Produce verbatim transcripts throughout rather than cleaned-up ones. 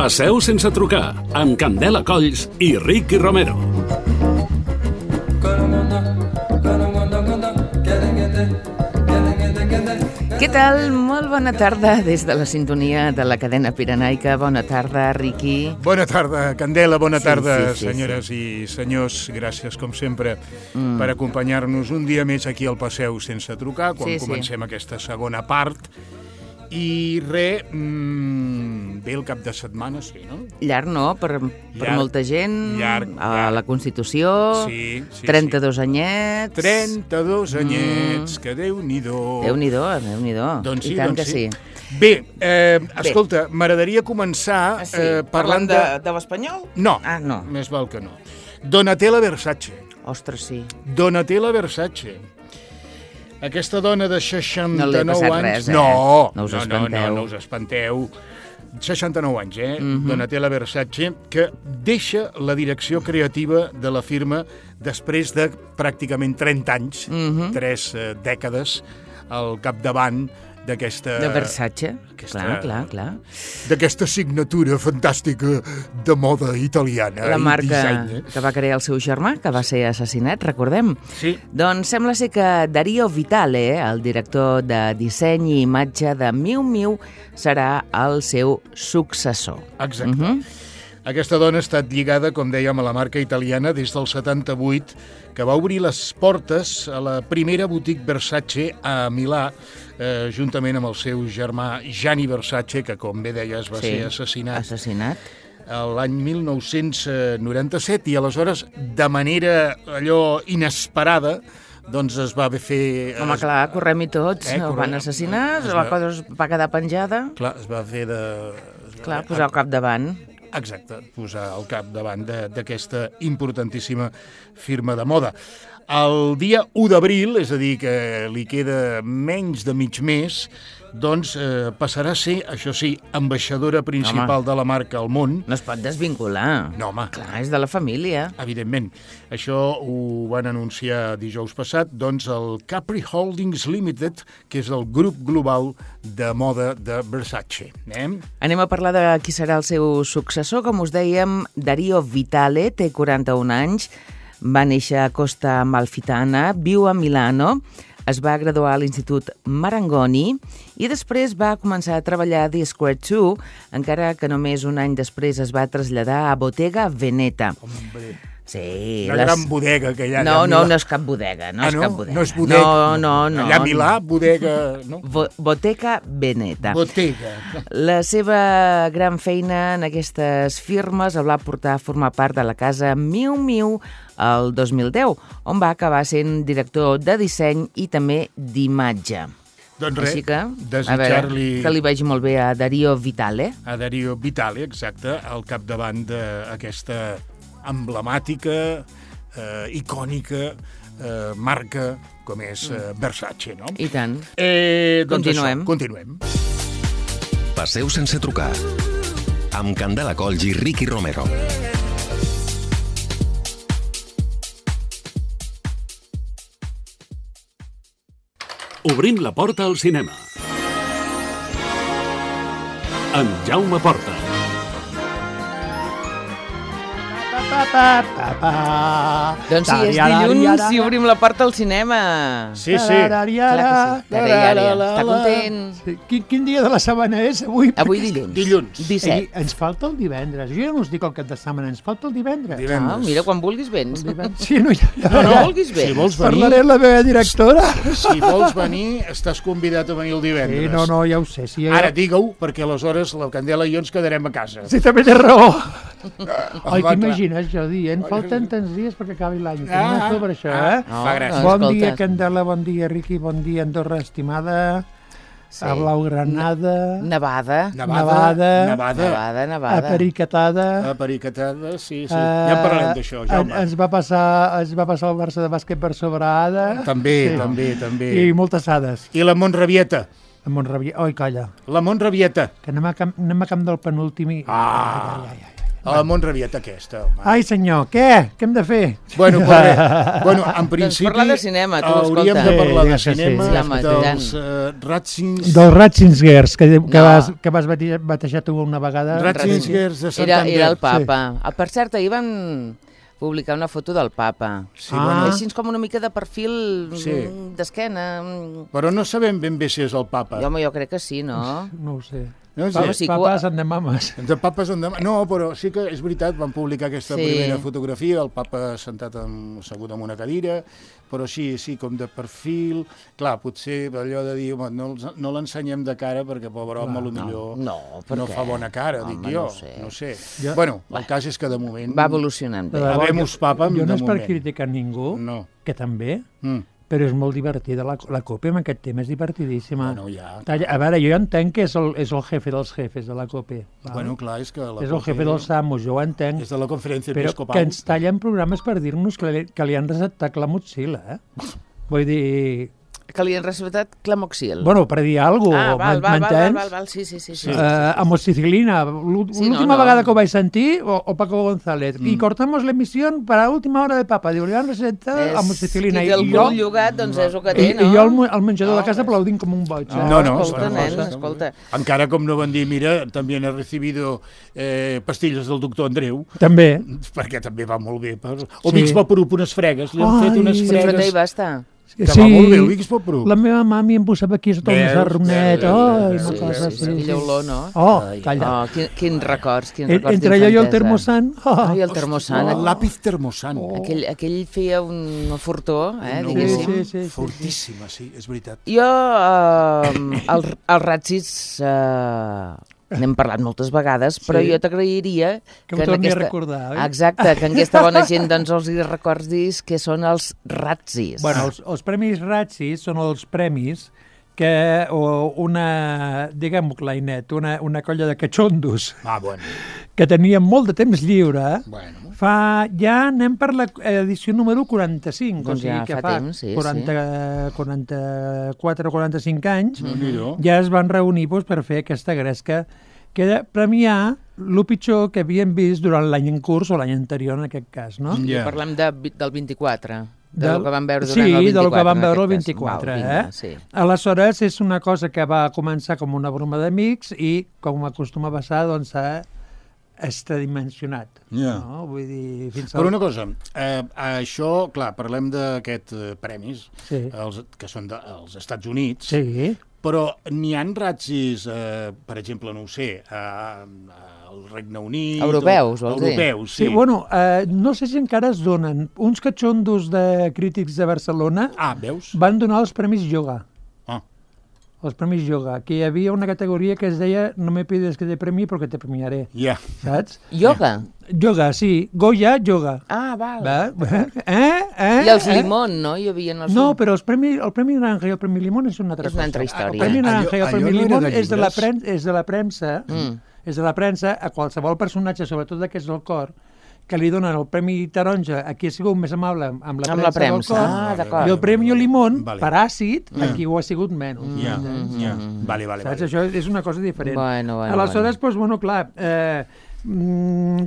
Passeu sense trucar, amb Candela Colls i Ricky Romero. Què tal? Molt bona tarda des de la sintonia de la cadena pirenaica. Bona tarda, Ricky. Bona tarda, Candela. Bona Sí, tarda, sí, sí, senyores i senyors. Gràcies, com sempre, mm. per acompanyar-nos un dia més aquí al Passeu sense trucar, quan Sí, sí. comencem aquesta segona part. I res, mmm, ve el cap de setmana, sí, no? Llarg, no? Per, per Llarg, molta gent. llarg, a llarg. la Constitució. Sí, sí, trenta-dos sí. anyets. trenta-dos anyets, mm. que Déu-n'hi-do. Déu-n'hi-do, Déu-n'hi-do. Doncs sí, I tant doncs que sí. sí. Bé, eh, escolta, m'agradaria començar Ah, sí? eh, parlant Parlant de, de... de l'Espanyol? No, Ah, no. més val que no. Donatella Versace. Ostres, sí. Donatella Versace. Aquesta dona de seixanta-nou No li ha passat anys... res, eh? No, No us no, no, espanteu. no, no us espanteu. seixanta-nou anys, eh? Mhm. Donatella Versace, que deixa la direcció creativa de la firma després de pràcticament trenta anys, Mhm. tres eh, dècades, al capdavant d'aquesta... De Versace. aquesta- Clar, clar, clar. d'aquesta signatura fantàstica de moda italiana. La i marca disseny, eh? que va crear el seu germà, que va ser assassinat, recordem. Sí. Doncs sembla ser que Dario Vitale, el director de disseny i imatge de Miu Miu, serà el seu successor. Exacte. Mhm. Aquesta dona ha estat lligada, com dèiem, a la marca italiana des del setanta-vuit, que va obrir les portes a la primera boutique Versace a Milà, eh, juntament amb el seu germà Gianni Versace, que, com bé deies, va Sí, ser assassinat Assassinat. l'any mil nou-cents noranta-set, i aleshores, de manera allò inesperada, doncs es va fer... Home, es, clar, correm-hi tots. Eh, El van correm. assassinar, Es la va- cosa es va quedar penjada. Clar, es va fer de... es va- Clar, posar al capdavant. Exacte, posar al capdavant de- d'aquesta importantíssima firma de moda. El dia u d'abril, és a dir, que li queda menys de mig mes, doncs eh, passarà a ser, això sí, ambaixadora principal Home. de la marca al món. No es pot desvincular. No, home, Clar, és de la família. evidentment. Això ho van anunciar dijous passat, doncs el Capri Holdings Limited, que és el grup global de moda de Versace. Eh? Anem a parlar de qui serà el seu successor. Com us dèiem, Dario Vitale té quaranta-un anys, va néixer a Costa Amalfitana, viu a Milano, es va graduar a l'Institut Marangoni i després va començar a treballar a The Square dos, encara que només un any després es va traslladar a Bottega Veneta. Hombre, Sí, la les- gran bodega que hi ha allà No, a no, Milà. no és cap bodega, no Ah, és no? cap bodega. No és bodega. No, no, no. Allà a Milà, bodega... No? Bo- Bottega Veneta. Bottega. La seva gran feina en aquestes firmes el va portar a formar part de la casa Miu Miu el dos mil deu, on va acabar sent director de disseny i també d'imatge. Doncs res, Així que, a veure, desitjar-li que li vagi molt bé a Dario Vitale. a Dario Vitale, exacte, al capdavant d'aquesta emblemàtica, eh, icònica eh, marca com és eh, Versace, no? I tant. Eh, doncs Continuem. Això, continuem. Passeu sense trucar. Amb Candela Colls i Ricky Romero. Obrim la porta al cinema. Amb Jaume Porta. Pa, pa, pa, pa. Doncs sí, és dilluns i obrim la porta al cinema. Sí, sí. Clar que sí. Taraiària. Està content. Sí. Quin, quin dia de la setmana és avui? Avui dilluns. Dilluns. disset. Ei, ens falta el divendres. Jo ja no us dic el cap de setmana, ens falta el divendres. Divendres. Ah, mira, quan vulguis vens. El divendres. Sí, no, ja, ja, No, no ja. vulguis Si vens. vols venir, Parlaré amb la meva directora. si vols venir, estàs convidat a venir el divendres. Sí, no, no, ja ho sé. Sí, ja... Ara digue-ho, perquè aleshores la Candela i jo ens quedarem a casa. Sí, també té raó. Home, Oi, clar. t'imagines jo dient, falten tants dies perquè acabi l'any. Ah, Ah, sobre això, ah, eh? No, fa gràcia. no, Bon escolta. dia, Candela, bon dia, Riqui, bon dia, Andorra, estimada, Sí. a Blaugranada, Nevada. Nevada. Nevada. Nevada, a nevada. A Pericatada. pericatada, sí, sí. eh, Ja en parlarem d'això, en- Jaume. Ens va passar, ens va passar el Barça de bàsquet per sobre Ada. També, Sí. també, també. I moltes ades. I la Montravieta. A Montravieta. Oi, calla, La Montravieta. que anem a camp, anem a camp del penúltim i... Ah. Ai, ai, ai, ai. A la Montravieta aquesta, home. Ai, senyor, què? Què hem de fer? Bueno, pues res. Bueno, en principi... Doncs parlar de cinema, tu, hauríem escolta. de parlar de Sí, sí, sí. cinema, Sí, home, dels uh, Ratzins... Dels Ratzinger, que, que, No. vas, que vas batejar, batejar tu una vegada. Ratzinger de Era, Santander. era el papa. Sí. Per cert, ahir van publicar una foto del papa. Sí, Ah. bueno, Així com una mica de perfil Sí. mm, d'esquena. mm. però no sabem ben bé si és el papa. Jo, home, jo crec que sí, no? No ho sé. No sé. Home, sí. Papes han de mames. De papes en demà... No, però sí que és veritat, van publicar aquesta Sí. primera fotografia, el papa sentat en, assegut en una cadira, però sí, sí, com de perfil... Clar, potser allò de dir, home, no, els- no l'ensenyem de cara perquè, pobre home, Clar, potser no, per no què? fa bona cara, Home, dic jo. no ho sé. No sé. Jo- Bueno, el cas és que de moment... Va evolucionant De bé. debò, Habemus papam, jo no de és per moment. criticar ningú, No. que també, Mm. però és molt divertida. La, la COPE amb aquest tema és divertidíssima. Bueno, ja. Talla- A veure, jo entenc que és el, és el jefe dels jefes de la COPE. val? Bueno, clar, és que... La és el jefe dels Samos, jo ho entenc. És de la conferència Però episcopal. que ens tallen programes per dir-nos que, li, que li han receptat la motxilla, eh? Vull dir... Que li han receptat clamoxil. Bueno, per dir alguna ah, cosa, val, val, val, m'entens? val, val, sí, sí, sí. sí, sí, Uh, sí. amoxicilina, l'última Sí, no, no. vegada que ho vaig sentir, o, o Paco González, Mm. y cortamos la emisión para la última hora de papa. Diu, li han receptat amoxicilina. Qui té el I jo, cul llogat, doncs és el que i, té, no? i jo al, mu- al menjador No, de casa res. aplaudint com un boig. eh? No, no, escolta, bueno, nen, està molt escolta. bé. Encara com no van dir, mira, també he recibido eh, pastilles del doctor Andreu, També. perquè també va molt bé. Per... O Sí. Vicks Vaporub, unes fregues, li han Ai. fet unes Sí, però no hi fregues, va estar. que va molt bé el Vicks Vaporub. La meva mami em posava aquí sota un Veus? sarronet. Veus? Ai, Veus? una Sí, cosa sí, així. sí. Aquella olor, no? Oh, Ai. calla. Oh, quin, quins records, quins En- records Entre allò i el d'infantesa. termosant. Oh. Ai, el termosant. El lápiz termosant. Aquell, aquell feia un fortó, eh, No. diguéssim. Sí, sí, sí, sí. Fortíssima, sí, és veritat. Jo, eh, el, el Ratsis, eh, n'hem parlat moltes vegades, però Sí. jo t'agrairia Que ho torni a recordar, oi? Exacte, que en aquesta bona gent doncs, els hi recordis que són els Ratsis. Bueno, els, els Premis Ratsis són els premis que o una, diguem-ho clarinet, una, una colla de catxondos Ah, bueno. que tenien molt de temps lliure, Bueno. fa, ja anem per l'edició número quaranta-cinc, Doncs o sigui ja que fa fa temps, sí, quaranta, quaranta-quatre o quaranta-cinc anys, Déu-n'hi-do. ja es van reunir doncs, per fer aquesta gresca que era premiar el pitjor que havien vist durant l'any en curs o l'any anterior, en aquest cas, no? Ja. Parlem de, del vint-i-quatre, de Del- lo que vam veure sí, durant el vint-i-quatre. del que vam en veure el aquest cas. vint-i-quatre, Val, vinga, eh? Sí. Aleshores, és una cosa que va començar com una broma d'amics i, com acostuma a passar, doncs s'ha extradimensionat. Ja. No? Vull dir, fins Però una cosa, eh, això, clar, parlem d'aquests eh, premis, Sí. els, que són dels Estats Units, Sí, però n'hi han ratzis, eh, per exemple, no ho sé, a, al Regne Unit... Europeus, o, vols dir? Europeus, sí. sí. Bueno, eh, no sé si encara es donen. Uns catxondos de crítics de Barcelona Ah, veus? van donar els Premis Yoga. Ah, Els Premis Yoga, que hi havia una categoria que es deia no me pides que te premie perquè te premiaré, ja. saps? Yoga? Yoga, sí. Goya, yoga. Ah, val. Va? Eh? Eh? I els eh? Limón, no? Hi havia els... No, però els premi, el Premi Naranja i el Premi Limón és una altra És una altra cosa. història. El Premi Naranja i el Allò- Premi allò no era Limón de és de la, llibres? pren, és de la premsa, Mm. és de la premsa a qualsevol personatge, sobretot d'aquests del cor, que li donen el Premi Taronja a qui ha sigut més amable amb, amb la Amb premsa, la premsa. del Ah, cor, d'acord. i el Premi Limón, Vale. per àcid, a qui ho ha sigut menys. Ja, Mm, ja. Vale, vale, Saps? vale. Això és una cosa diferent. Bueno, bueno, Aleshores, doncs, bueno, clar, eh, mm,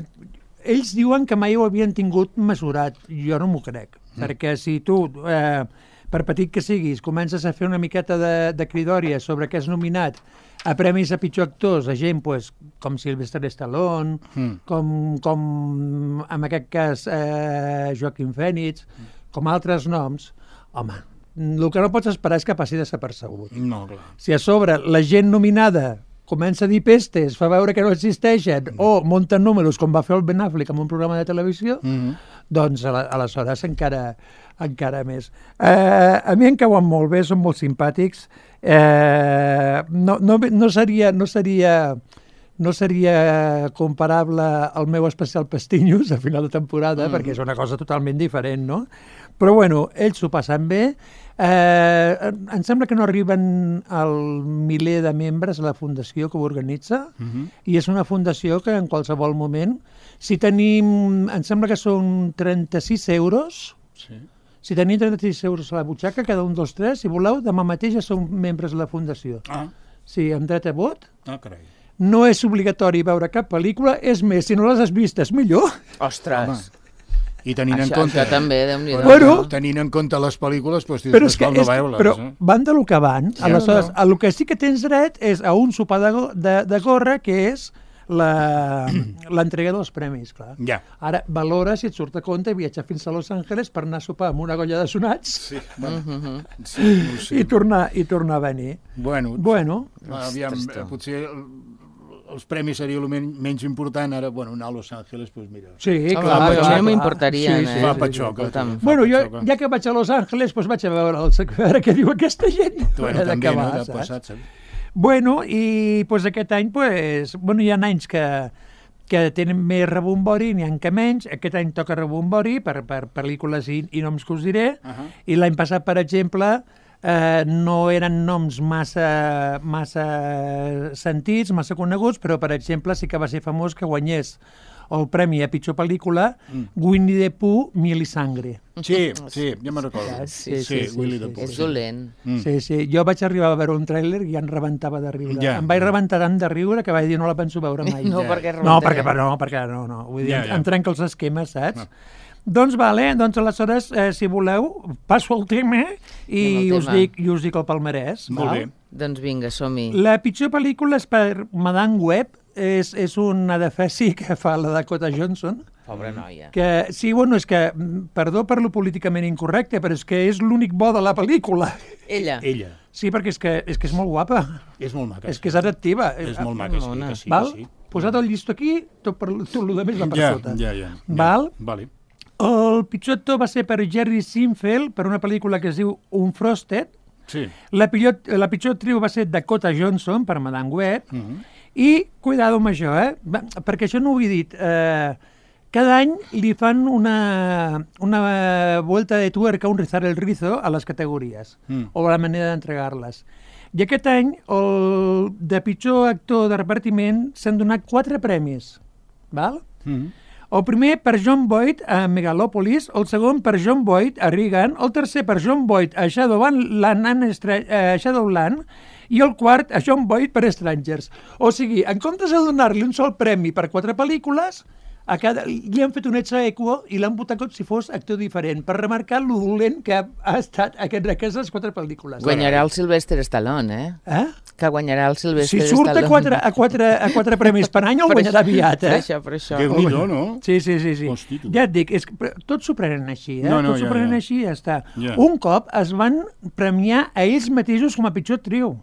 ells diuen que mai ho havien tingut mesurat. Jo no m'ho crec, mm. perquè si tu, eh, per petit que siguis, comences a fer una miqueta de, de cridòria sobre què és nominat a premis a pitjor actors, a gent pues, com Sylvester Stallone, Mm. com, com en aquest cas eh, Joaquim Phoenix, com altres noms, home, el que no pots esperar és que passi desapercebut. No, clar. Si a sobre la gent nominada comença a dir pestes, fa veure que no existeixen, mm. o munten números, com va fer el Ben Affleck en un programa de televisió, Mm -hmm. doncs ala- aleshores encara, encara més. Eh, a mi em cauen molt bé, són molt simpàtics. Eh, no, no, no seria... No seria no seria comparable al meu especial Pestinyos a final de temporada, mm. perquè és una cosa totalment diferent, no? Però, bueno, ells s'ho passen bé. Eh, em sembla que no arriben al miler de membres a la fundació que ho organitza, Mm -hmm. i és una fundació que en qualsevol moment, si tenim, em sembla que són trenta-sis euros, Sí. si tenim trenta-sis euros a la butxaca, cada un dels tres, si voleu, demà mateix ja som membres de la fundació. Ah, Sí, amb dret a vot. ah, carai. no és obligatori veure cap pel·lícula, és més, si no les has vistes, millor. Ostres! Home. I tenint això, en compte... Això també, Déu-n'hi-do. Bueno, tenint en compte les pel·lícules, doncs, però és que, no és, veure-les. però eh? van de lo que van. Sí, Aleshores, no. a lo que sí que tens dret és a un sopar de, go- de, de gorra, que és la- l'entrega dels premis, clar. Ja. Ara, valora si et surt a compte viatjar fins a Los Angeles per anar a sopar amb una colla de sonats Sí, bueno, sí, no ho sé. i, tornar, i tornar a venir. Bueno, Bueno, aviam, Ostres, tu. potser els premis seria el men menys important, ara, bueno, anar a Los Angeles, doncs mira... sí, Home, clar. a mi clar, no clar. m'importaria, Sí, eh? sí, Fa sí, patxoca. escolta'm. fa Bueno, jo, patxoca. ja que vaig a Los Angeles, doncs vaig a veure, el, a veure què diu aquesta gent. Bueno, De també, què no?, va, de saps? passat, saps? Bueno, i pues, aquest any, pues, bueno, hi ha anys que, que tenen més rebombori, n'hi ha que menys. Aquest any toca rebombori per, per pel·lícules i, i noms que us diré. Uh -huh. I l'any passat, per exemple, eh, no eren noms massa, massa sentits, massa coneguts, però, per exemple, sí que va ser famós que guanyés el premi a pitjor pel·lícula mm. Winnie the Pooh, Miel i Sangre. Sí, sí, ja me'n recordo. Sí, sí, sí, sí, Willy sí, the Pooh. És dolent. Mm. Sí, sí. Jo vaig arribar a veure un tràiler i ja em rebentava de riure. Ja. Em vaig rebentar tant de riure que vaig dir no la penso veure mai. No, Ja. perquè No, rebentaré. perquè no, perquè no, no. Vull dir, Ja, ja. em trenca els esquemes, saps? No. Doncs vale, doncs aleshores, eh, si voleu, passo el tema i Anem al us, tema. dic, i us dic el palmarès. Molt val? bé. Doncs vinga, som-hi. La pitjor pel·lícula és per Madame Web, és, és una defesi que fa la Dakota Johnson, Pobra noia. que, sí, bueno, és que, mm, perdó per lo políticament incorrecte, però és que és l'únic bo de la pel·lícula. Ella. Ella. Sí, perquè és que és, que és molt guapa, És molt maca. és sí. que és atractiva. És molt maca, sí, Mona. que sí, Val? que sí. Posat el llistó aquí, tot, per, tot el més va per Ja, sota. ja, ja. ja. Val? Vale. El pitjor actor va ser per Jerry Seinfeld, per una pel·lícula que es diu Unfrosted. Sí. La pitjor, la pitjor actriu va ser Dakota Johnson, per Madame Web. Uh -huh. I, cuidado amb això, eh? Va, perquè això no ho he dit. Eh, cada any li fan una, una vuelta de tuerca, un rizar el rizo a les categories, Mm. o la manera d'entregar-les. I aquest any, el de pitjor actor de repartiment, s'han donat quatre premis. Val? Uh -huh. El primer per John Boyd a Megalopolis, el segon per John Boyd a Reagan, el tercer per John Boyd a Shadowland, a Shadowland i el quart a John Boyd per Strangers. O sigui, en comptes de donar-li un sol premi per quatre pel·lícules, a cada, li han fet un ex aequo i l'han votat com si fos actor diferent, per remarcar lo dolent que ha, ha estat aquest, aquestes quatre pel·lícules. Guanyarà el Sylvester Stallone, eh? Eh? Que guanyarà el Si Sylvester surt Stallone. a quatre, a quatre, a quatre premis per any, el Per guanyarà això- aviat, Per eh? això, per això. Déu-n'hi-do, no? Sí, sí, sí. sí. Hosti, tu. Ja et dic, és que, però tots s'ho prenen així, eh? No, no, tots s'ho ja, prenen ja. així i ja està. Ja. Un cop es van premiar a ells mateixos com a pitjor actriu,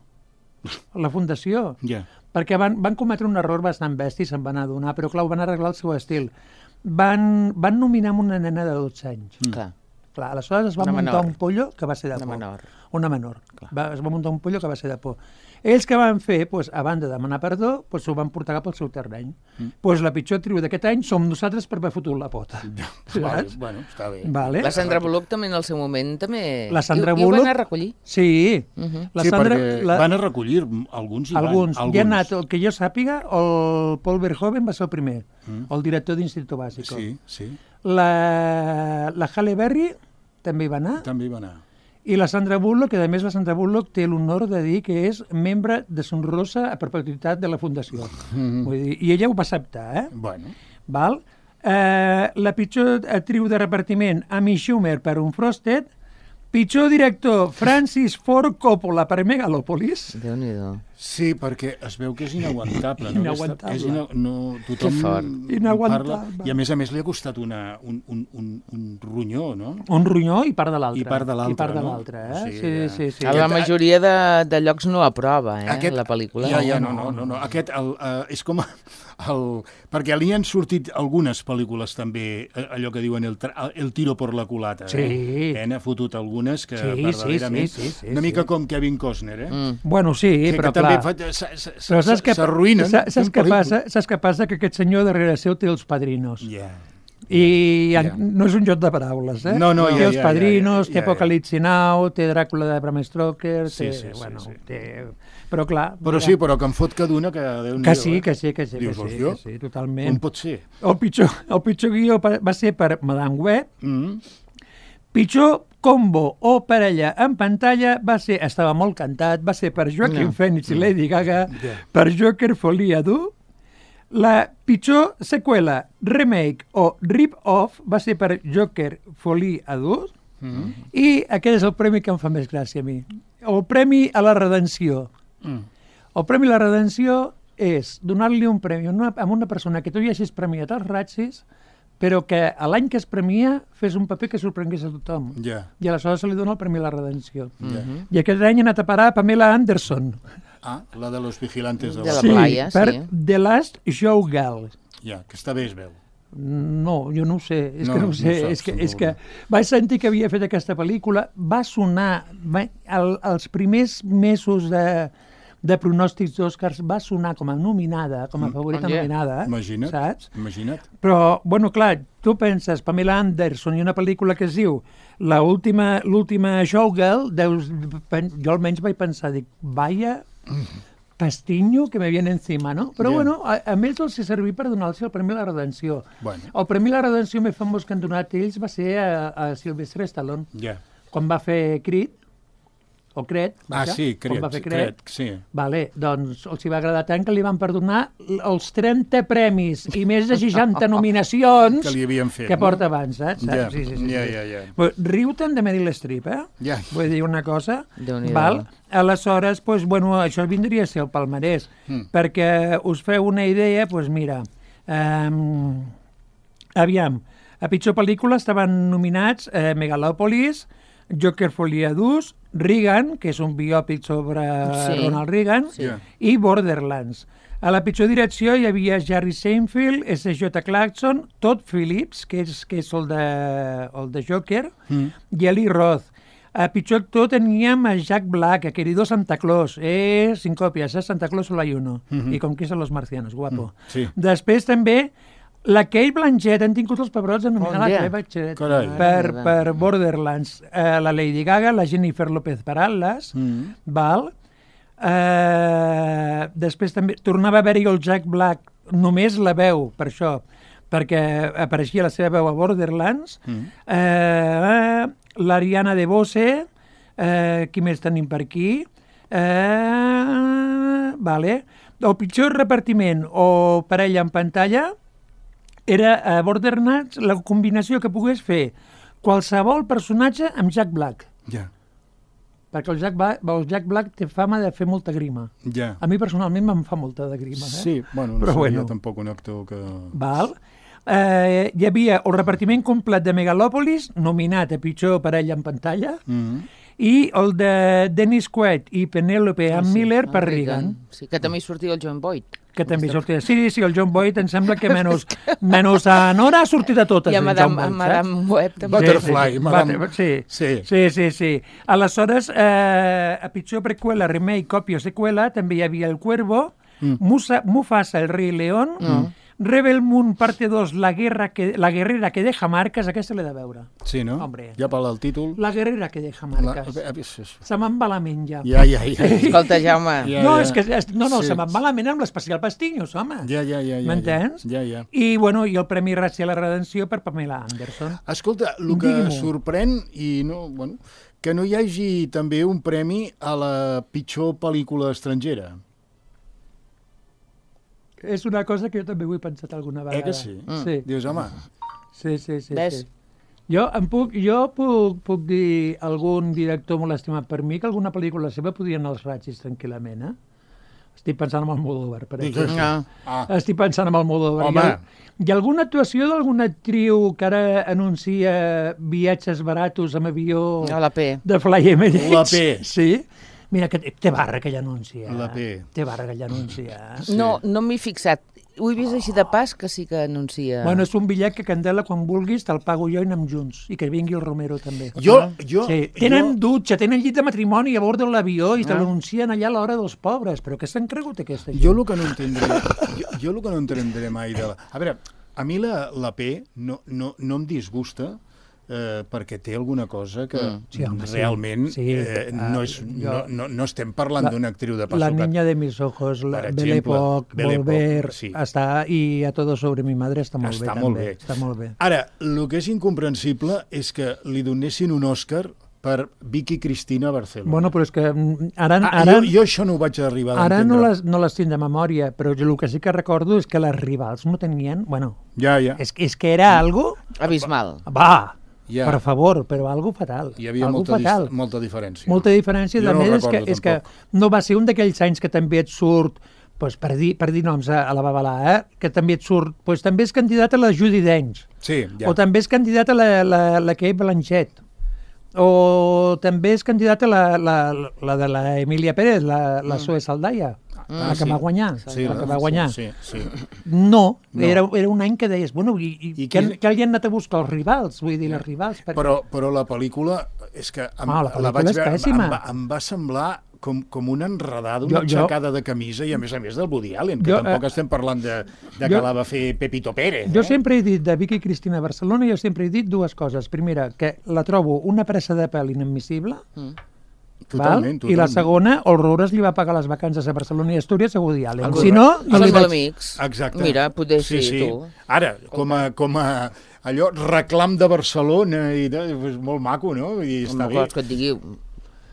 a la Fundació, Ja. perquè van, van cometre un error bastant bèstia i se'n van adonar, però clar, ho van arreglar el seu estil. Van, van nominar amb una nena de dotze anys. Mm. Clar, Clar, aleshores es va Una muntar menor. un pollo que va ser de una por. menor. Una menor. Va, es va muntar un pollo que va ser de por. Ells que van fer, pues, a banda de demanar perdó, pues, s'ho van portar cap al seu terreny. Mm. Pues, la pitjor tribu d'aquest any som nosaltres per haver fotut la pota. Vale, Saps? bueno, està bé. Vale. La Sandra Bullock també en el seu moment també... La Sandra I, I ho Bullock- van a recollir. Sí. Uh -huh. La sí, Sandra, perquè la, van a recollir alguns i alguns. van. Hi ha anat, el que jo sàpiga, el Paul Verhoeven va ser el primer, mm. el director d'Instituto Básico. Sí, sí, La, la Halle Berry també hi va anar. també hi va anar. I la Sandra Bullock, que a més la Sandra Bullock té l'honor de dir que és membre de sonrosa a perpetuïtat de la Fundació. Mm-hmm. Vull dir, i ella ho va acceptar, eh? Bueno, Val? Eh, la pitjor actriu de repartiment, Amy Schumer, per Unfrosted. Pitjor director, Francis Ford Coppola, per Megalopolis. Déu-n'hi-do. sí, perquè es veu que és inaguantable. No? Inaguantable. És ina... no, tothom Que fort. Inaguantable. parla, i a més a més li ha costat una, un, un, un, un ronyó, no? Un ronyó i part de l'altre. I part de l'altre, I part de no? l'altre, eh? O Sí, sigui, sí, sí. sí. A la majoria de, de llocs no aprova, eh, la pel·lícula. Ja, ja, no, no, no, no. Aquest el, uh, és com el... Perquè li han sortit algunes pel·lícules també, eh, allò que diuen el, tra- el tiro por la culata. Sí. Eh? Eh, n'ha fotut algunes que Sí, sí, verdaderament... sí, sí, sí, una mica sí. com Kevin Costner, eh? Mm. Bueno, sí, que, però que clar... també fa- s- s- s- Però saps què, s'arruïnen. saps, saps, fent què pel·lícules. passa? saps què passa? Que aquest senyor darrere seu té els padrinos. Ja. I Ja. ja. no és un joc de paraules, eh? No, no, té ja, els ja, padrinos, ja, ja, té ja, ja. Apocalipsi Now, té Dràcula de Bram Stoker, Sí, té... sí, sí, bueno, sí. té... Però clar... Però sí, però que em fot que d'una que... Déu-n'hi-do, Que sí, eh? que sí, que sí, que Dius, sí, hòstia, que sí, totalment. Com pot ser? El pitjor, el pitjor guió pa- va ser per Madame Web, Mm. Pitjor combo o parella en pantalla va ser, estava molt cantat, va ser per Joaquin No. Phoenix i Lady Gaga, Ja. per Joker Folia dur. La pitjor seqüela, remake o rip-off va ser per Joker Folie a dur. Mm. I aquest és el premi que em fa més gràcia a mi. El premi a la redenció. Mm. El premi a la redenció és donar-li un premi a una, a una persona que tu ja hagis premiat als Razzies, però que a l'any que es premia fes un paper que sorprengués a tothom. Ja. I aleshores se li dona el premi a la redenció. Ja. I aquest any ha anat a parar a Pamela Anderson. Ah, la de los vigilantes de De la... la sí, playa, per sí. The Last Showgirl. Ja, que està bé, es veu. No, jo no ho sé, és No, que no ho no sé, saps, és, que, no. és que vaig sentir que havia fet aquesta pel·lícula, va sonar, va, el, els primers mesos de, de pronòstics d'Oscars va sonar com a nominada, com a favorita Oye. nominada, Imagina't, saps? imagina't. Però, bueno, clar, tu penses, Pamela Anderson i una pel·lícula que es diu la última, l'última Showgirl, deus, pen- jo almenys vaig pensar, dic, vaya pastinyo que me viene encima, no? Però, Ja. bueno, a, a més els ha servit per donar-los el Premi a la Redenció. Bueno. El Premi a la Redenció més famós que han donat ells va ser a, a Sylvester Stallone, Ja. quan va fer Creed, o Creed. Ah, vaja, sí, quan Creed, va fer Creed. Creed, sí. Vale, doncs els hi va agradar tant que li van perdonar els trenta premis i més de seixanta nominacions Que li havien fet, que no? porta abans, saps? Ja, Sí, sí, sí, ja, sí. ja, ja. Però riu-te'n de Meryl Streep, eh? Ja. Vull dir una cosa. Déu-n'hi-do. Val? Aleshores, pues, bueno, això vindria a ser el palmarès. Mm. Perquè us feu una idea, doncs pues mira, um, aviam, a pitjor pel·lícula estaven nominats eh, Megalopolis, Joker Folia dos, Reagan, que és un biòpic sobre Sí. Ronald Reagan, Sí. i Borderlands. A la pitjor direcció hi havia Jerry Seinfeld, S J Clarkson, Todd Phillips, que és, que és el, de, el de Joker, Mm. i Eli Roth. A pitjor actor teníem a Jack Black, a querido Santa Claus. Eh, sin còpies, eh? Santa Claus solo hay uno. Mhm. I com que són los marcianos, guapo. Mm, sí. Després també la Kate Blanchett, han tingut els pebrots de nominar Oh, la yeah. Kate Blanchett Carai. per, Mare per Borderlands. Eh, la Lady Gaga, la Jennifer López per Atlas, Mm. val? Eh, després també tornava a haver-hi el Jack Black, només la veu, per això, perquè apareixia la seva veu a Borderlands. Mm. Eh, l'Ariana DeBose, eh, qui més tenim per aquí? Eh, vale. El pitjor repartiment o parella en pantalla era a Borderlands la combinació que pogués fer qualsevol personatge amb Jack Black, Ja, perquè el Jack, Black, el Jack Black té fama de fer molta grima. ja. A mi personalment me'n fa molta de grima. Eh? Sí, bueno, no Però seria bueno. tampoc un actor que... Val? Eh, hi havia el repartiment complet de Megalopolis, nominat a pitjor parella en pantalla, Mm. i el de Dennis Quaid i Penélope Ann Miller per el Reagan, Sí, que també hi sortia el John Boyd. que també sortia. Sí, sí, el John Boyd em sembla que menys, menys a Nora ha sortit a totes. I a el Madame, John Boyd, a Madame saps? Web també. Butterfly, sí, Madame- Butter- Sí, Sí. sí, sí, sí. Aleshores, eh, a pitjor preqüela, remake, còpia o seqüela, també hi havia El Cuervo, Mm. Musa, Mufasa, El Rei León, Mm. Rebel Moon, parte dos, la, guerra que, la guerrera que deja marques, aquesta l'he de veure. Sí, no? Hombre. Ja pel títol... La guerrera que deja La... marques. a veure, sí, sí. Se me'n va la ment ja. Ja, ja, ja. Escolta, Jaume, Ja, no, ja. és que, és, no, no, Sí. se me'n va la ment amb l'especial Pastinyos, home. Ja, ja, ja, ja. M'entens? Ja, ja. I, bueno, i el Premi Racial a la Redenció per Pamela Anderson. Escolta, el que Digui-m'ho. sorprèn, i no, bueno, que no hi hagi també un premi a la pitjor pel·lícula estrangera. És una cosa que jo també ho he pensat alguna vegada. Eh que sí? Mm. Sí, Dius, home, sí, sí. sí, Ves? sí. Jo, em puc, jo puc, puc dir algun director molt estimat per mi que alguna pel·lícula seva podria anar als ratxis tranquil·lament, eh? Estic pensant en el Almodóvar, per Digues. exemple. no. ah, Estic pensant en el Almodóvar. Home. Hi ha, hi ha alguna actuació d'alguna actriu que ara anuncia viatges baratos amb avió A la P. de Fly Emirates? La P. Sí? Mira, que té, té barra aquell anunci. Eh? La P. Té barra aquell anunci. Eh? Sí. No, no m'hi he fixat. Ho he vist així de pas, que sí que anuncia... Bueno, és un bitllet que, Candela, quan vulguis, te'l pago jo i anem junts. I que vingui el Romero, també. jo, jo, Sí, tenen jo, dutxa, tenen llit de matrimoni a bord de l'avió i te Ah. l'anuncien allà a l'hora dels pobres. Però què s'han cregut, aquesta gent? jo el que no entendré, jo, jo el que no entendré mai de la... A veure, a mi la, la P no, no, no em disgusta eh, perquè té alguna cosa que mm. sí, home, realment sí. Sí. Eh, no, és, Uh, no, no, no estem parlant la, d'una actriu de Paso La Cat. niña de mis ojos, la, Per Belle exemple, Époque, Belle Volver, Époque, sí. està, i A todo sobre mi madre està molt Està bé, molt també. bé. Està molt bé. Ara, el que és incomprensible és que li donessin un Òscar per Vicky Cristina Barcelona. Bueno, però és que mm, ara... ah, ara jo, jo això no ho vaig arribar a Ara entendre. no les, no les tinc de memòria, però jo el que sí que recordo és que les rivals no tenien... Bueno, Ja, ja. és, és que era algo... Abismal. Va, Ja. per favor, però algo fatal. Hi havia algo molta, fatal. dis molta diferència. Molta diferència. Jo A no ho més, és que, recordo, és que tampoc. no va ser un d'aquells anys que també et surt, pues, per, dir, per dir noms a, a la Babalà, eh? que també et surt... Pues, també és candidat a la Judi Dench. Sí, ja. O també és candidat a la, la, la Kate Blanchett. O també és candidat a la, la, la de la Emília Pérez, la, la Zoe Saldaya, Ah, la que sí. va guanyar. Sí, la que va guanyar. Sí, sí. No, No. Era, era un any que deies, bueno, i, i, I I que, qui- que li han anat a buscar els rivals, vull dir, les rivals. Perquè... Però, però la pel·lícula és que em, Ah, la pel·lícula vaig és veure, pèssima. em, va, em va semblar com, com una enredada, Jo- una jo- aixecada de camisa i a més a més del Woody Allen, que Jo, tampoc eh, estem parlant de, de jo- que la va fer Pepito Pérez. Jo eh? sempre he dit de Vicky Cristina Barcelona, jo sempre he dit dues coses. Primera, que la trobo una pressa de pèl inadmissible, Mm. Totalment, val? I la totalment. segona, Horrores li va pagar les vacances a Barcelona i Astúries a Woody Allen. Correcte. Si no, no Són li molt vaig... amics. Exacte. Mira, poder sí, sí, sí. tu. Ara, com a, com a allò, reclam de Barcelona, i de, és molt maco, no? I està Home, bé. vols que et digui...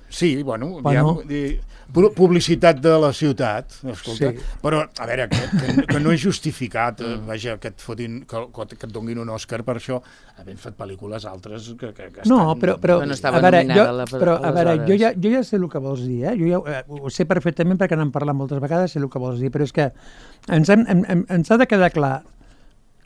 Sí, bueno, Bueno. diguem, di- pu- publicitat de la ciutat, escolta, Sí. però, a veure, que, que, que no és justificat, eh, vaja, que et, fotin, que, que et donin un Òscar per això, havent fet pel·lícules altres que, que, que No, estan... però, però, Que no estava a veure, nominada jo, a la- però, a veure aleshores. jo, ja, jo ja sé el que vols dir, eh? Jo ja eh, ho sé perfectament perquè n'hem parlat moltes vegades, sé el que vols dir, però és que ens, hem, hem, hem, ens ha de quedar clar,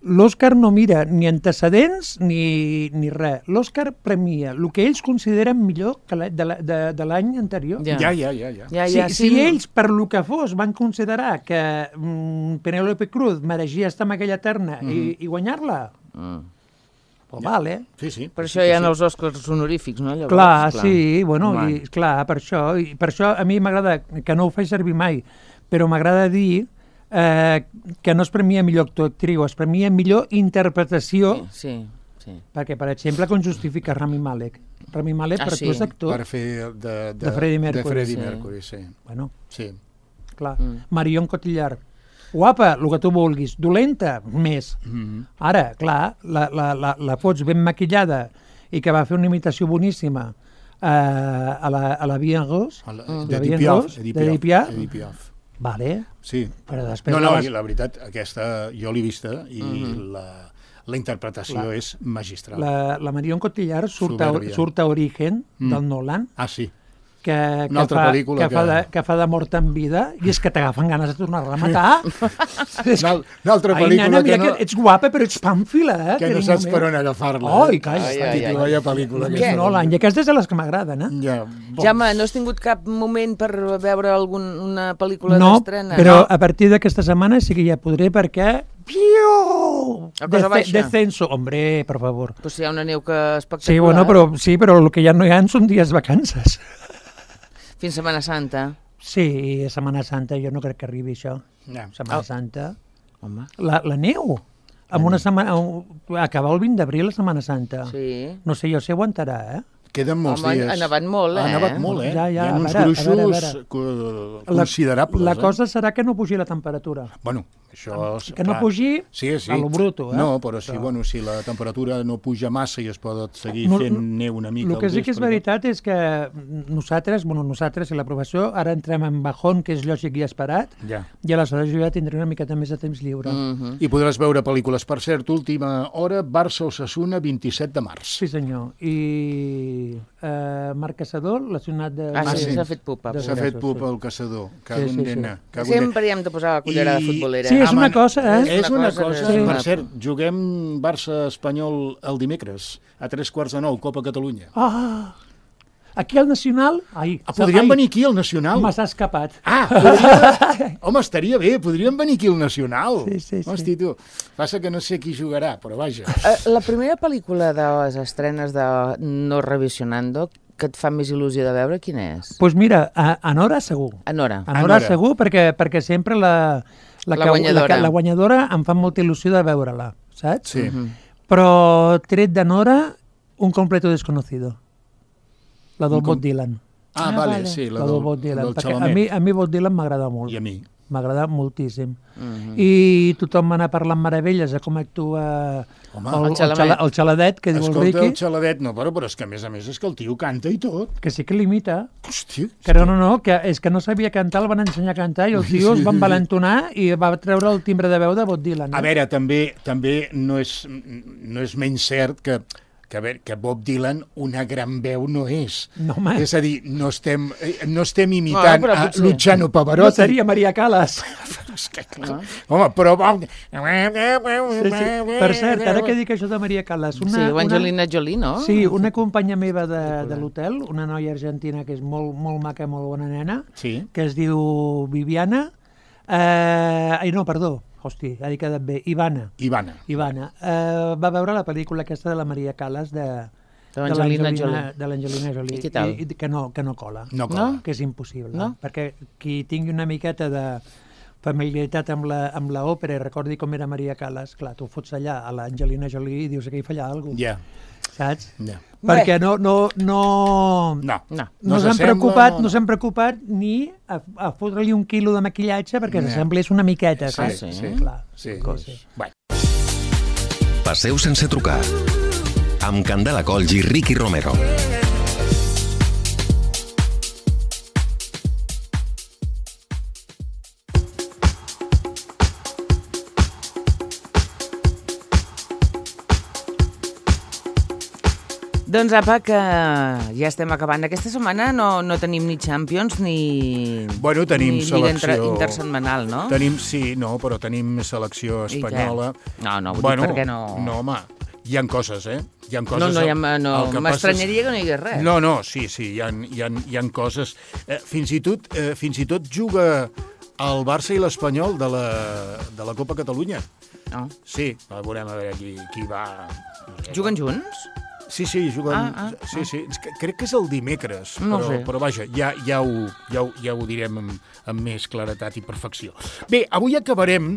l'Òscar no mira ni antecedents ni, ni res. L'Òscar premia el que ells consideren millor que la, de la- de, de l'any anterior. Ja. Ja, ja, ja, ja. Ja, Si, ja, si sí, ells, per lo que fos, van considerar que mm, Penélope Cruz mereixia estar en aquella terna mm -hmm. i, i guanyar-la, Mm. pues vale. Sí, sí. Per sí, això hi ha sí. els Oscars honorífics, no? Llavors, Clar, sí, bueno, Home. i, clar, per això, i per això a mi m'agrada, que no ho faig servir mai, però m'agrada dir eh, que no es premia millor actor o actriu, es premia millor interpretació, Sí, sí. perquè, per exemple, com justifica Rami Malek. Rami Malek Ah, per sí? tu és actor. Per fer de, de, De Freddie Mercury, De Freddie sí. Mercury, sí. Bueno, sí. clar. Mm. Marion Cotillard. Guapa, el que tu vulguis. Dolenta, més. Mm -hmm. Ara, clar, la, la, la, la fots ben maquillada i que va fer una imitació boníssima eh, a la, a la Bien Rose, El, La de Bien Piaf. Rose, de Edith Piaf. Edith Piaf. Vale, Sí. però després... No, no, la i la veritat, aquesta jo l'he vista i mm -hmm. la, la interpretació Clar. és magistral. la, la Marion Cotillard surt a, Soberbia. surt a Origen, Mm. del Nolan, Ah, sí. que, Una que, altra fa, pel·lícula que, que- fa de, que fa de mort en vida, i és que t'agafen ganes de tornar-la a matar. És Una, una altra Ai, pel·lícula nena, mira que, no, que ets guapa, però ets pàmfila, eh? que no carinyo saps meu. per on agafar-la. Ai, eh? calla. Ai, Ai, ai, ai. Vaya pel·lícula. És aquesta. Nolan, i aquestes de les que m'agraden, eh? Ja, bo. Jaume, no has tingut cap moment per veure algun, una pel·lícula No, d'estrena? però a partir d'aquesta setmana sí que ja podré perquè... Piu! A cosa baixa. Descenso. Hombre, per favor. Pues si hi ha una neu que espectacular. Sí, bueno, però, sí, però el que ja no hi ha són dies vacances. Fins Setmana Santa. Sí, Setmana Santa, jo no crec que arribi això. Ja. Setmana Oh. Santa. Home, La, la neu. Amb una setmana... Acabar el vint d'abril, la Setmana Santa. sí. No sé jo si aguantarà, eh? Queden molts Home, dies. ha nevat molt, eh? Ha nevat molt, eh? Ja, ja, Hi ha a uns veure, a gruixos veure, a veure. co- La- considerables. La eh? cosa serà que no pugi la temperatura. Bueno, això... és Que no clar. pugi sí, sí. a lo bruto, eh? No, però si, Però- bueno, si la temperatura no puja massa i es pot seguir No, fent no, neu una mica... El que al sí que és vespre, veritat és que nosaltres, bueno, nosaltres i la professió, ara entrem en bajón, que és lògic i esperat, Ja. i aleshores jo ja tindré una miqueta més de temps lliure. Mm. Mhm. I podràs veure pel·lícules. Per cert, última hora, Barça-Osasuna, vint-i-set de març. Sí, senyor. I eh, Marc Caçador, lesionat de... Ah, sí, sí. s'ha fet pupa. De- S'ha fet pup sí. al caçador. Cago Sí, en sí, sí. nena. Cago en nena. Sempre hi hem de posar la cullera de I- futbolera. Sí, és Ah, una man, cosa, eh? És una cosa. Sí. Per cert, juguem Barça-Espanyol el dimecres, a tres quarts de nou, Copa Catalunya. Ah! Aquí al Nacional... Ai, Ah, podríem ai, venir aquí al Nacional? Me s'ha escapat. Ah, podria... Home, estaria bé, podríem venir aquí al Nacional. Sí, sí, sí. Hosti, tu, passa que no sé qui jugarà, però vaja. Eh, La primera pel·lícula de les estrenes de No Revisionando que et fa més il·lusió de veure, quina és? Doncs pues mira, a, a Nora segur. A Nora. A Nora Nora. segur, perquè, perquè sempre la, La que- guanyadora. La, que- la guanyadora em fa molta il·lusió de veure-la, saps? Sí. Mhm. Però tret de Nora, Un completo desconocido. La del Un com- Bob Dylan. Ah, Ah, vale, vale. sí, la La del, del Bob Dylan. del Perquè a Xalamet. mi, a mi Bob Dylan m'agrada molt. I a mi. M'agrada moltíssim. Mhm. I tothom m'ha anat parlant meravelles de com actua Home, el, el el, Xalamet. xala, el xaladet, que diu el Escolta, el Riqui, xaladet, no, però, però és que a més a més és que el tio canta i tot. que sí que l'imita. Hòstia. Que no, no, no, que és que no sabia cantar, el van ensenyar a cantar i el tio es va envalentonar i va treure el timbre de veu de Bob Dylan. A No? veure, també també no és, no és menys cert que, que, a veure, que Bob Dylan una gran veu no és. No, home. És a dir, no estem, eh, no estem imitant Bueno, però a potser- Luciano No Pavarotti. seria Maria Callas. És que, home, però... Bob... Sí, sí. Per cert, ara que dic això de Maria Callas, una, Sí, o una, Angelina Jolie, no? sí, una companya meva de, de l'hotel, una noia argentina que és molt, molt maca, molt bona nena, Sí. que es diu Viviana, eh, ai no, perdó, hosti, ha quedat bé, Ivana, Ivana. Ivana, eh, va veure la pel·lícula aquesta de la Maria Callas de, De l'Angelina Jolie. de l'Angelina Jolie. I què tal? I, i que, no, que no cola. No cola. Que és impossible. No? Perquè qui tingui una miqueta de familiaritat amb la, amb la òpera i recordi com era Maria Callas, clar, tu fots allà a l'Angelina Jolie i dius que hi falla alguna cosa. Ja, Saps? ja. Perquè no, no, no, No. No. no s'han preocupat, no s'han preocupat ni a, a fotre-li un quilo de maquillatge perquè No. s'assemblés una miqueta, Sí, saps? sí. sí. Clar. Sí, Sí. sí. Bueno. Passeu sense trucar. Amb Candela Colls i Riqui Romero. Doncs apa, que ja estem acabant. Aquesta setmana no, no tenim ni Champions ni, Bueno, tenim ni Lliga selecció... inter, intersetmanal, no? Tenim, sí, no, però tenim selecció I què? espanyola. No, no, vull bueno, dir, per què no? No, home, hi ha coses, eh? Hi ha coses... No, no, ja, m- el no que passa és- m'estranyaria que no hi hagués res. No, no, sí, sí, hi ha, hi ha, hi ha coses... Eh, fins, i tot, eh, fins i tot juga el Barça i l'Espanyol de la, de la Copa Catalunya. No. Sí, a veurem a veure qui, qui va... Juguen junts? Sí, sí, juguen... Ah, ah, sí, sí. És que crec que és el dimecres, No però, sé. però vaja, ja, ja, ho, ja, ho, ja ho direm amb, amb més claretat i perfecció. Bé, avui acabarem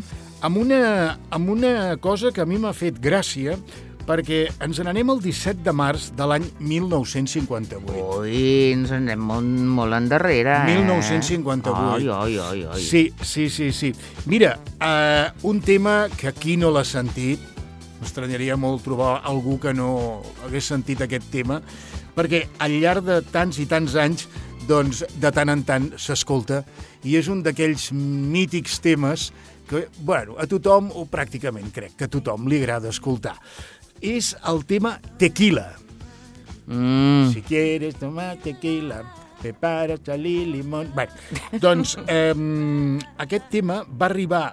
amb una, amb una cosa que a mi m'ha fet gràcia, perquè ens n'anem el disset de març de l'any mil nou-cents cinquanta-vuit. Ui, ens en anem molt, molt endarrere, eh? mil nou-cents cinquanta-vuit. Ai, ai, ai, ai. Sí, sí, sí, sí. Mira, uh, un tema que aquí no l'ha sentit, m'estranyaria molt trobar algú que no hagués sentit aquest tema, perquè al llarg de tants i tants anys, doncs, de tant en tant s'escolta, i és un d'aquells mítics temes que, bueno, a tothom, o pràcticament crec que a tothom li agrada escoltar. És el tema Tequila. Mm. Si quieres tomar tequila, prepara salir limón... Bé, doncs eh, aquest tema va arribar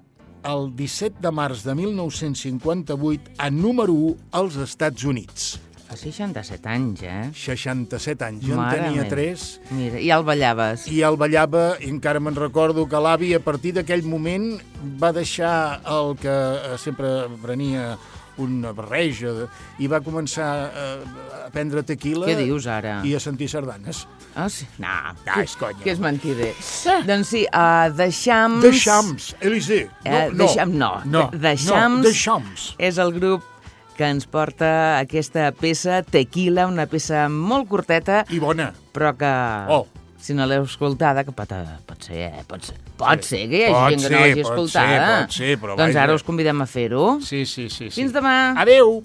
el disset de març de mil nou-cents cinquanta-vuit a número u als Estats Units. Fa seixanta-set anys, eh? seixanta-set anys. Jo Mare en tenia meva. tres Mira, i el ballaves. i el ballava, i encara me'n recordo que l'avi a partir d'aquell moment va deixar el que eh, sempre prenia una barreja de, i va començar eh, a prendre tequila. Què dius ara? I a sentir sardanes. Ah, sí? No, Ah, és conya. que és mentider. Doncs sí, uh, The Shams... The Shams, Elisée. No, Eh, no. The Shams, no. No, The no, Shams The Shams. és el grup que ens porta aquesta peça, Tequila, una peça molt curteta, I bona. però que, Oh. si no l'heu escoltada, que pot, pot ser, eh? Pot ser, pot Sí. ser que hi hagi Pot gent que no ser, l'hagi pot escoltada. ser, pot ser, però doncs vaja. ara us convidem a fer-ho. Sí, sí, sí. sí. Fins demà. Adéu.